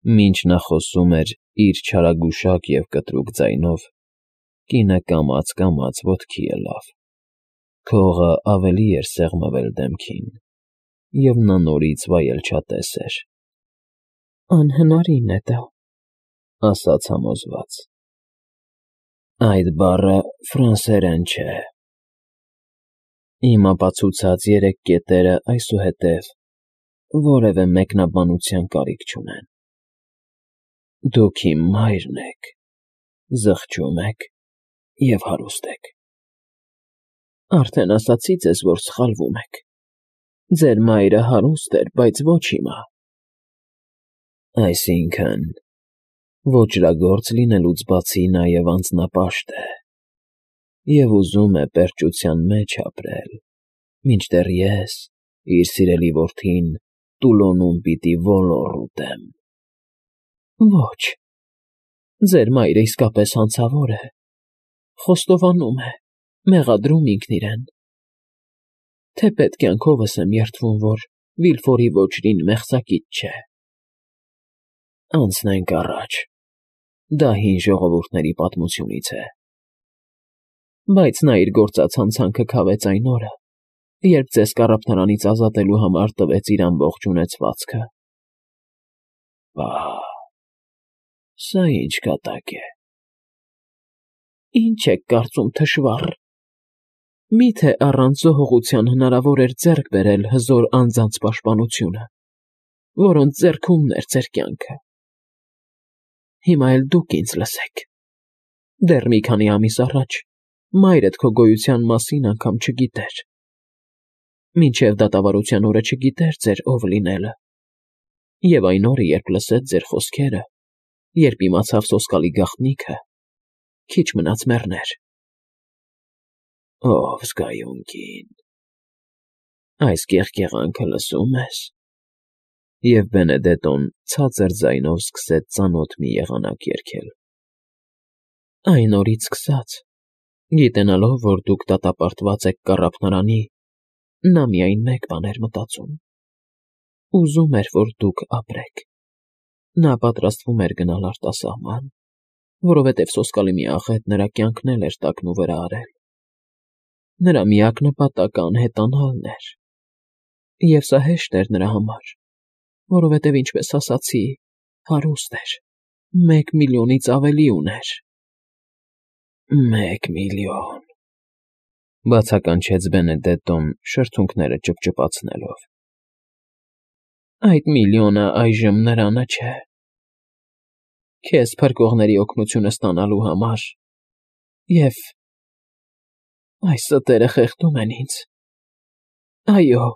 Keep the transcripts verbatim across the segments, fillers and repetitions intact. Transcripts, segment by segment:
Մինչ նա խոսում էր իր չարագուշակ և կտրուկ ձայնով, կինը կամաց֊կամաց ոտքի ելավ. քողը ավելի էր սեղմվել դեմքին, և նա նորից վայելչատես էր։ ֊ Անհնարին է դա,֊ ասաց համոզված։ ֊ Այդ բառը ֆրանսերեն չէ։ Իմ ապացուցած երեք կետերը այսուհետև որևէ մեկնաբանության կարիք չունեն։ Դուք իմ մայրն եք, զղջում եք և հարուստ եք։ Արդեն ասացի ձեզ, որ սխալվում եք. ձեր մայրը հարուստ էր, բայց ոչ հիմա։ Այսինքն՝ ոճրագործ լինելուց բացի նաև անձնապաշտ է և ուզում է պերճության մեջ ապրել, մինչդեռ ես, իր սիրելի որդին, տուլոնում պիտի ոլոր ուտեմ։ Ոչ, ձեր մայրը իսկապես հանցավոր է, խոստովանում է, մեղադրում ինքն իրեն։ Թեպետ կյանքովս եմ երդվում, որ Վիլֆորի ոճրին մեղսակից չէ։ Անցնենք առաջ, դա հին ժողովուրդների պատմությունից է։ Բայց նա իր գործած հանցանքը քավեց այն օրը, երբ ձեզ կառափնարանից ազատելու համար տվեց իր ամբողջ ունեցվածքը։ Պաաա՜, սա ի՞նչ կատակ է։ Ի՞նչ եք կարծում, թշվառ, մի՞թե առանց զոհողության հնարավոր էր ձեռք բերել հզոր անձանց պաշտպանությունը, որոնց ձեռքումն էր ձեր կյանքը։ Հիմա էլ դուք ինձ լսեք։ Դեռ մի քանի ամիս առաջ մայրդ քո գոյության մասին անգամ չգիտեր։ Մինչև դատավարության օրը չգիտեր ձեր ով լինելը։ Եվ այն օրը, երբ լսեց ձեր խոսքերը, երբ իմացավ սոսկալի գաղտնիքը, քիչ մնաց մեռներ։ Ով զգայուն կին, այս կեղկեղանքը լսո՞ւմ ես։ Եվ Բենեդետոն ցածր ձայնով սկսեց ծանոթ մի եղանակ երգել։ Այն օրից սկսած, գիտենալով, որ դուք դատապարտված եք կառափնարանի, նա միայն մեկ բան էր մտածում. ուզում էր, որ դուք ապրեք։ Նա պատրաստվում էր գնալ արտասահման, որովհետև սոսկալի մի աղետ նրա կյանքն էլ էր տակնուվրա արել։ Նրա միակ նպատակը անհետանալն էր։ Եվ սա հեշտ էր նրա համար, որովհետև, ինչպես ասացի, հարուստ էր, մեկ միլիոնից ավելի ուներ։ Մեկ միլիոն, բացականչեց Բենեդետոն շրթունքները ճպճպացնելով։ Այդ միլիոնը այժմ նրանը չէ։ Քեզ փրկողների օգնությունը ստանալու համար և… այս ստերը խեղդում են ինձ։ Այո,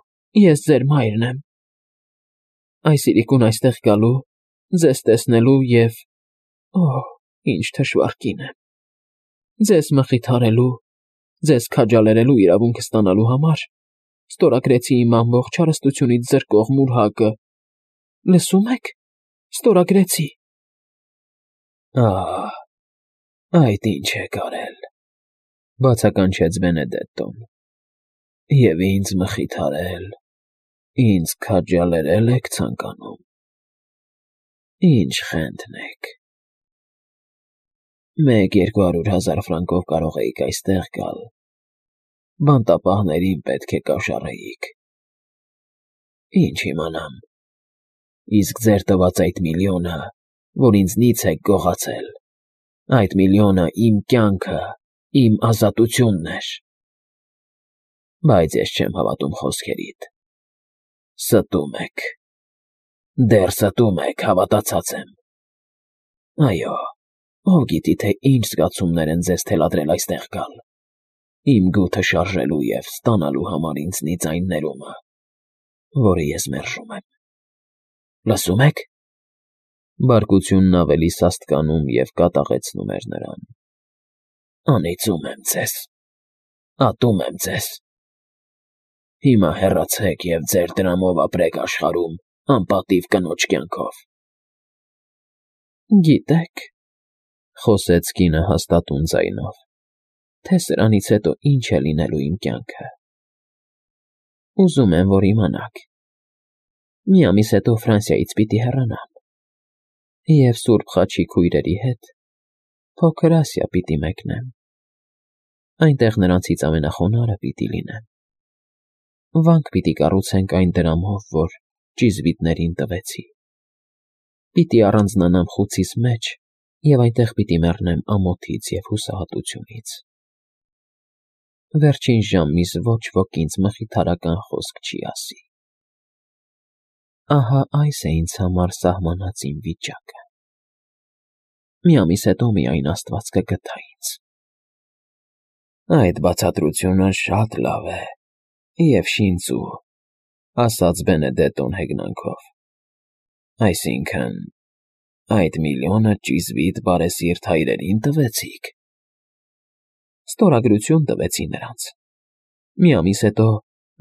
ես ձեր մայրն եմ։ Այս իրիկուն այստեղ գալու, ձեզ տեսնելու և… օհ, ինչ թշվառ կին եմ… ձեզ մխիթարելու, ձեզ քաջալերելու իրավունք ստանալու համար ստորագրեցի իմ ամբողջ հարստությունից զրկող մուրհակը… Լսո՞ւմ եք, ստորագրեցի։ Ահ, այդ ինչ եք արել, բացականչեց Բենեդետոն։ Եվ ինձ մխիթարել, ինձ քաջալերել եք ցանկանում։ Ինչ խենթն եք։ Մեկ երկու հարյուր հազար ֆրանկով կարող էիք այստեղ գալ, բանտապահներին պետք է կաշառեիք։ Ինչ իմանամ։ Իսկ ձեր տված այդ միլիոնը, որ ինձնից եք գողացել, այդ միլիոնը իմ կյանքը, իմ ազատությունն էր։ Բայց ես չեմ հավատում խոսքերիդ։ Ստում եք։ Դեռ ստում եք, հավատացած եմ։ Այո, ով գիտի, թե ինչ զգացումներ են ձեզ թելադրել այստեղ գալ, իմ գութը շարժելու և ստանալու համար ինձնից այն ներումը, որը ես մերժում եմ։ Լսո՞ւմ եք։ Բարկությունն ավելի սաստկանում և կատաղեցնում էր նրան։ Անիծում եմ ձեզ, ատում եմ ձեզ։ Հիմա հեռացեք և ձեր դրամով ապրեք աշխարհում անպատիվ կնոջ կյանքով։ Գիտեք, խոսեց կինը հաստատուն ձայնով, թե սրանից հետո ինչ է լինելու իմ կյանքը։ Ուզում եմ, որ իմանաք։ Մի ամիս հետո Ֆրանսիայից պիտի հեռանամ։ Եվ Սուրբ Խաչի քույրերի հետ փոքր Ասիա պիտի մեկնեմ, այնտեղ նրանցից ամենախոնարհը պիտի լինեմ, վանք պիտի կառուցենք այն դրամով, որ ճիզվիտներին տվեցի, պիտի առանձնանամ խուցիս մեջ և այնտեղ պիտի մեռնեմ ամոթից և հուսահատությունից, վերջին ժամիս ոչ ոք ինձ մխիթարական խոսք չի ասի, ահա այս է ինձ համար սահմանած իմ վիճակը, մի ամիս հետո միայն Աստված կգթա ինձ։ Այդ բացատրությունը շատ լավ է և շինծու, ասաց Բենեդետոն հեգնանքով, այսինքն, այդ միլիոնը ճիզվիտ բարեսիրտ հայրերին տվեցիք։ Ստորագրություն տվեցի նրանց, մի ամիս հետո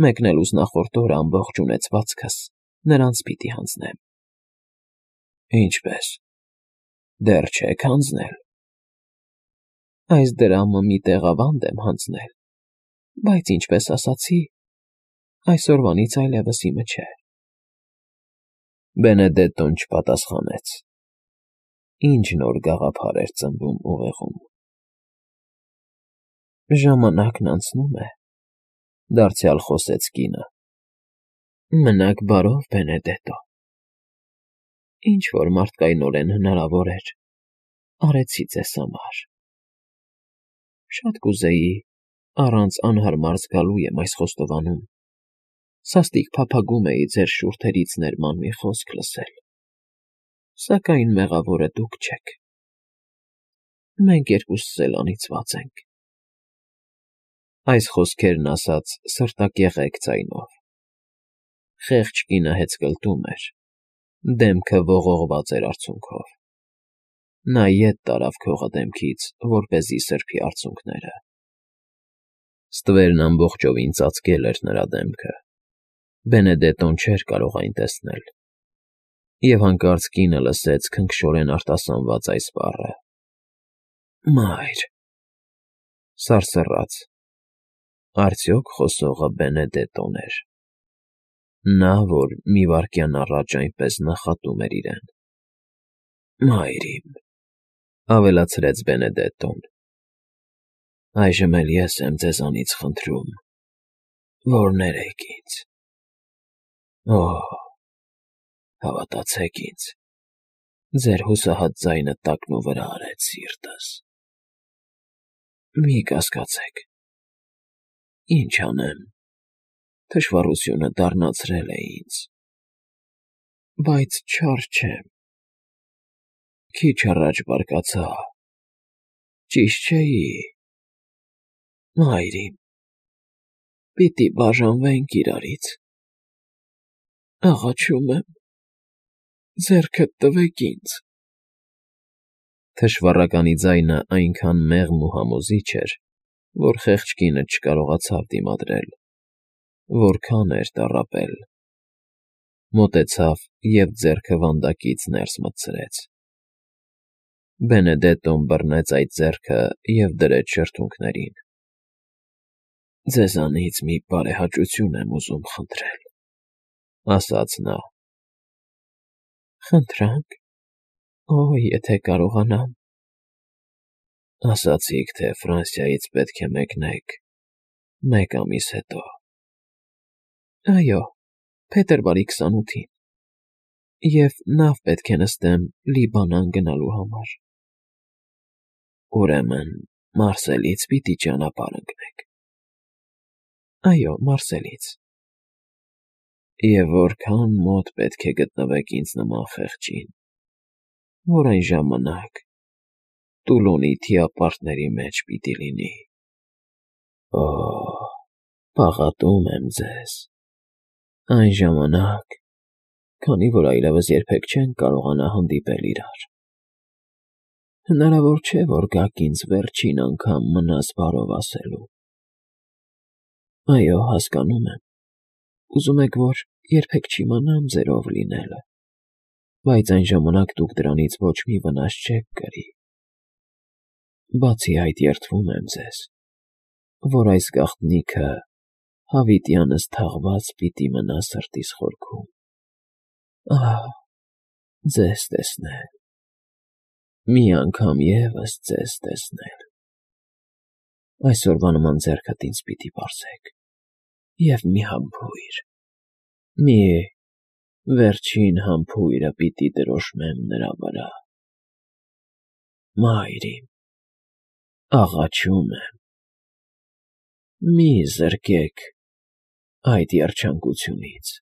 մեկնելուց նախորդ օրը ամբողջ ունեցվածքս նրանց պիտի հանձնեմ։ Ինչպե՞ս, դեռ չեք հանձնել։ Այս դրամը մի տեղավանդ եմ հանձնել, բայց ինչպես ասացի, այսօրվանից այլևս իմը չէ։ Բենեդետոն չպատասխանեց։ Ինչ նոր գաղափար էր ծնվում ուղեղում։ Ժամանակն անցնում է, դարձյալ խոսեց կինը։ Մնաք բարով, Բենեդետո։ Ինչ որ մարդկայնորեն հնարավոր էր, արեցի ձեզ համար։ Շատ կուզեի, առանց անհարմար զգալու եմ այս խոստովանում, սաստիկ փափագում էի ձեր շուրթերից ներման մի խոսք լսել, սակայն մեղավորը դուք չեք։ Մենք երկուսս էլ անիծված ենք։ Այս խոսքերն ասաց սրտակեղեկ ձայնով։ Խեղճ կինը հեծկլտում էր, դեմքը ողողված էր արցունքով։ Նա ետ տարավ քողը դեմքից, որպեսզի սրբի արցունքները։ Ստվերն ամբողջովին ծածկել էր նրա դեմքը։ Բենեդետոն չէր կարող այն տեսնել։ Եվ հանկարծ կինը լսեց քնքշորեն արտասանված այս բառը. Մայր… Սարսռաց։ Արդյոք խոսողը Բենեդետոն էր։ Նա, որ մի վայրկյան առաջ այնպես նախատում էր իրեն։ Մայր իմ… ավելացրեց Բենեդետոն, այժմ էլ ես եմ ձեզանից խնդրում, որ ներեք ինձ։ Օհ… հավատացեք ինձ, ձեր հուսահատ ձայնը տակնուվրա արեց սիրտս։ Մի կասկածեք, ինչ անեմ, թշվառությունը դառնացրել է ինձ, բայց չար չեմ, քիչ առաջ բարկացա, ճիշտ չէի… Մայր իմ, պիտի բաժանվենք իրարից, աղաչում եմ, ձեռքդ տվեք ինձ… Թշվառականի ձայնը այնքան մեղմ ու համոզիչ էր, որ խեղճ կինը չկարողացավ դիմադրել, որքան էր տառապել։ Մոտեցավ և ձեռքը վանդակից ներս մտցրեց։ Բենեդետոն բռնեց այդ ձեռքը և դրեց շրթունքներին։ Ձեզանից մի բարեհաճություն եմ ուզում խնդրել, ասաց նա։ Խնդրանք… Օ՜, եթե կարողանամ… Ասացիք, թե Ֆրանսիայից պետք է մեկնեք մեկ ամիս հետո։ Այո, փետրվարի քսանութին, և նավ պետք է նստեմ Լիբանան գնալու համար։ Ուրեմն Մարսելից պիտի ճանապարհ ընկնեք։ Այո, Մարսելից։ Եվ որքան մոտ պետք է գտնվեք ինձ նման խեղճին, որ այն ժամանակ Տուլոնի թիապարտների մեջ պիտի լինի։ Օհ… պաղատում եմ ձեզ… Այն ժամանակ, քանի որ այլևս երբեք չենք կարողանա հանդիպել իրար… Հնարավոր չէ, որ գաք ինձ վերջին անգամ մնաս բարով ասելու… Այո, հասկանում եմ, ուզում եք, որ երբեք չիմանամ ձեր ով լինելը, բայց այն ժամանակ դուք դրանից ոչ մի վնաս չեք կրի… Բացի այդ, երդվում եմ ձեզ, որ այս գաղտնիքը հավիտյանս թաղված պիտի մնա սրտիս խորքում… Ահ… ձեզ տեսնել… Մի անգամ ևս ձեզ տեսնել։ Այսօրվա նման ձեռքդ ինձ պիտի պարզեք, և մի համբույր, մի վերջին համբույրը պիտի դրոշմեմ նրա վրա։ Մայր իմ, աղաչում եմ, մի զրկեք այդ երջանկությունից։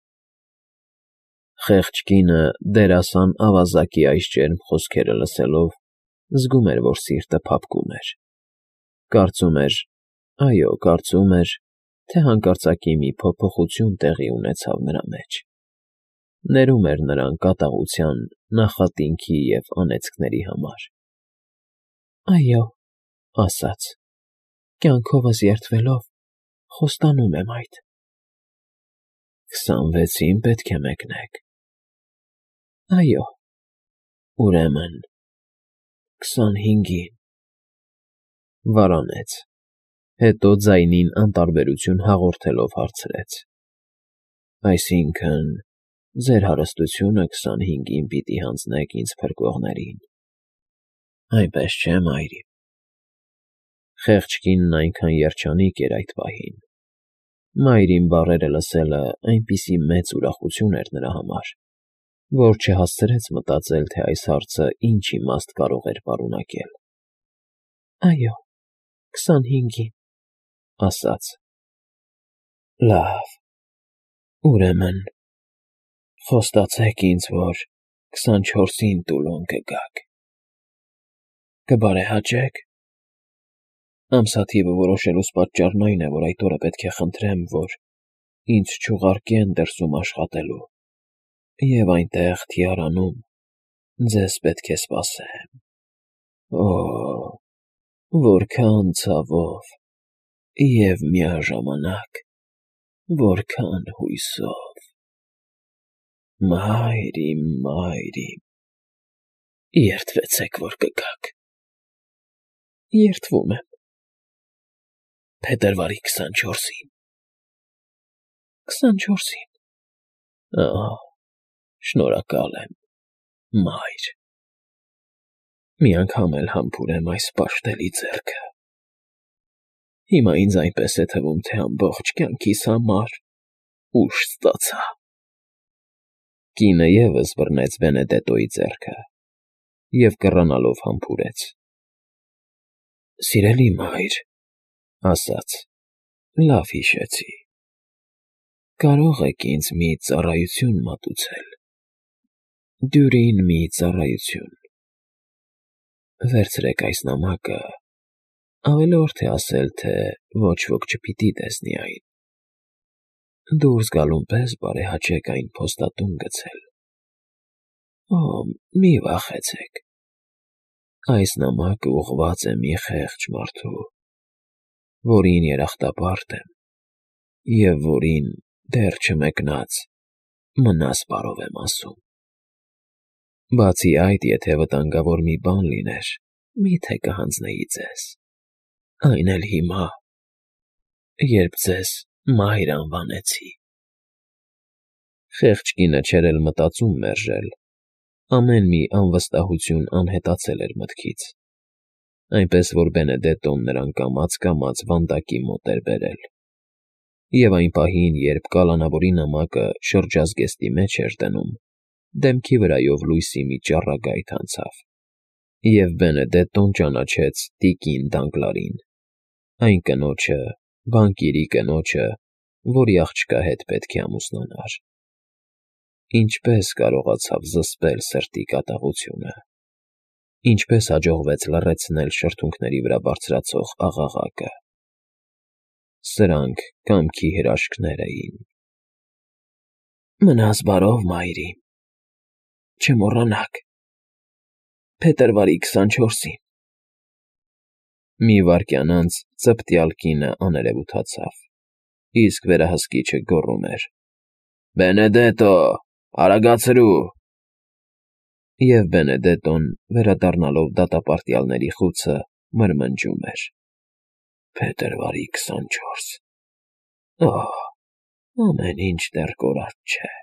Խեղճ կինը դերասան ավազակի այս ջերմ խոսքերը լսելով զգում էր, որ սիրտը փափկում էր, կարծում էր, այո, կարծում էր, թե հանկարծակի մի փոփոխություն տեղի ունեցավ նրա մեջ, ներում էր նրան կատաղության, նախատինքի և անեծքների համար։ Այո, ասաց, կյանքովս երդվելով, խոստանում եմ այդ։ Քսանվեցին պետք է մեկնեք։ Այո, ուրեմն քսանհինգին։ Վարանեց, հետո ձայնին անտարբերություն հաղորդելով հարցրեց. Այսինքն, ձեր հարստությունը քսանհինգին պիտի հանձնեք ինձ փրկողներին։ Այնպես չէ՞, մայր իմ։ Խեղճ կինն այնքան երջանիկ էր այդ պահին։ Մայր իմ բառերը լսելը այնպիսի մեծ ուրախություն էր նրա համար, որ չհասցրեց մտածել, թե այս հարցը ինչ իմաստ կարող էր պարունակել։ Այո, քսանհինգին, ասաց։ Լավ, ուրեմն խոստացեք ինձ, որ քսանչորսին Տուլոն կգաք։ Կբարեհաճե՞ք։ Ամսաթիվը որոշելուս պատճառն այն է, որ այդ օրը պետք է խնդրեմ, որ ինձ չուղարկեն դրսում աշխատելու, և այնտեղ թիարանում ձեզ պետք է սպասեմ։ Օ՜, որքան ցավով և միաժամանակ որքան հույսով։ Մայր իմ, մայր իմ, երդվեցեք, որ կգաք։ Երդվում եմ։ Փետրվարի քսանչորսին։ Քսանչորսին։ Ահա, շնորհակալ եմ, մայր։ Մի անգամ էլ համբուրեմ այս պաշտելի ձեռքը։ Հիմա ինձ այնպես է թվում, թե ամբողջ կյանքիս համար ուժ ստացա։ Կինը ևս բռնեց Բենեդետոյի ձեռքը և կռանալով համբուրեց։ Սիրելի մայր, ասաց, լավ հիշեցի։ Կարո՞ղ եք ինձ մի ծառայություն մատուցել։ Դյուրին մի ծառայություն։ Վերցրեք այս նամակը, ավելորդ է ասել, թե ոչ ոք չպիտի տեսնի այն։ Դուրս գալուն պես բարեհաճեք այն փոստատուն գցել։ Օ, մի վախեցեք։ Այս նամակը ուղղված է մի խեղճ մարդու, որին երախտապարտ եմ և որին դեռ չմեկնած մնաս֊պարով եմ ասում։ Բացի այդ, եթե վտանգավոր մի բան լիներ, մի՞թե կհանձնեի ձեզ, այն էլ հիմա, երբ ձեզ մայր անվանեցի։ Խեղճ կինը չէր էլ մտածում մերժել, ամեն մի անվստահություն անհետացել էր մտքից, այնպես որ Բենեդետոն նրան կամաց֊կամաց վանդակի մոտ էր բերել, և այն պահին, երբ կալանավորի նամակը շրջազգեստի մեջ էր դնում, դեմքի վրայով լույսի մի ճառագայթ անցավ, և Բենեդետոն ճանաչեց տիկին Դանգլարին, այն կնոջը, բանկիրի կնոջը, որի աղջկա հետ պետք է ամուսնանար։ Ինչպե՞ս կարողացավ զսպել սրտի կատաղությունը, ինչպե՞ս հաջողվեց լռեցնել շրթունքների վրա բարձրացող աղաղակը։ Սրանք կամքի հրաշքներ էին։ Մնաս բարով, մայր իմ, չմոռանաք, փետրվարի քսանչորսին։ Մի վայրկյան անց ծպտյալ կինը աներևութացավ, իսկ վերահսկիչը գոռում էր. Բենեդետո, արագացրու։ Եվ Բենեդետոն, վերադառնալով դատապարտյալների խուցը, մրմնջում էր. Փետրվարի քսանչորս։ Օհ, ամեն ինչ դեռ կորած չէ։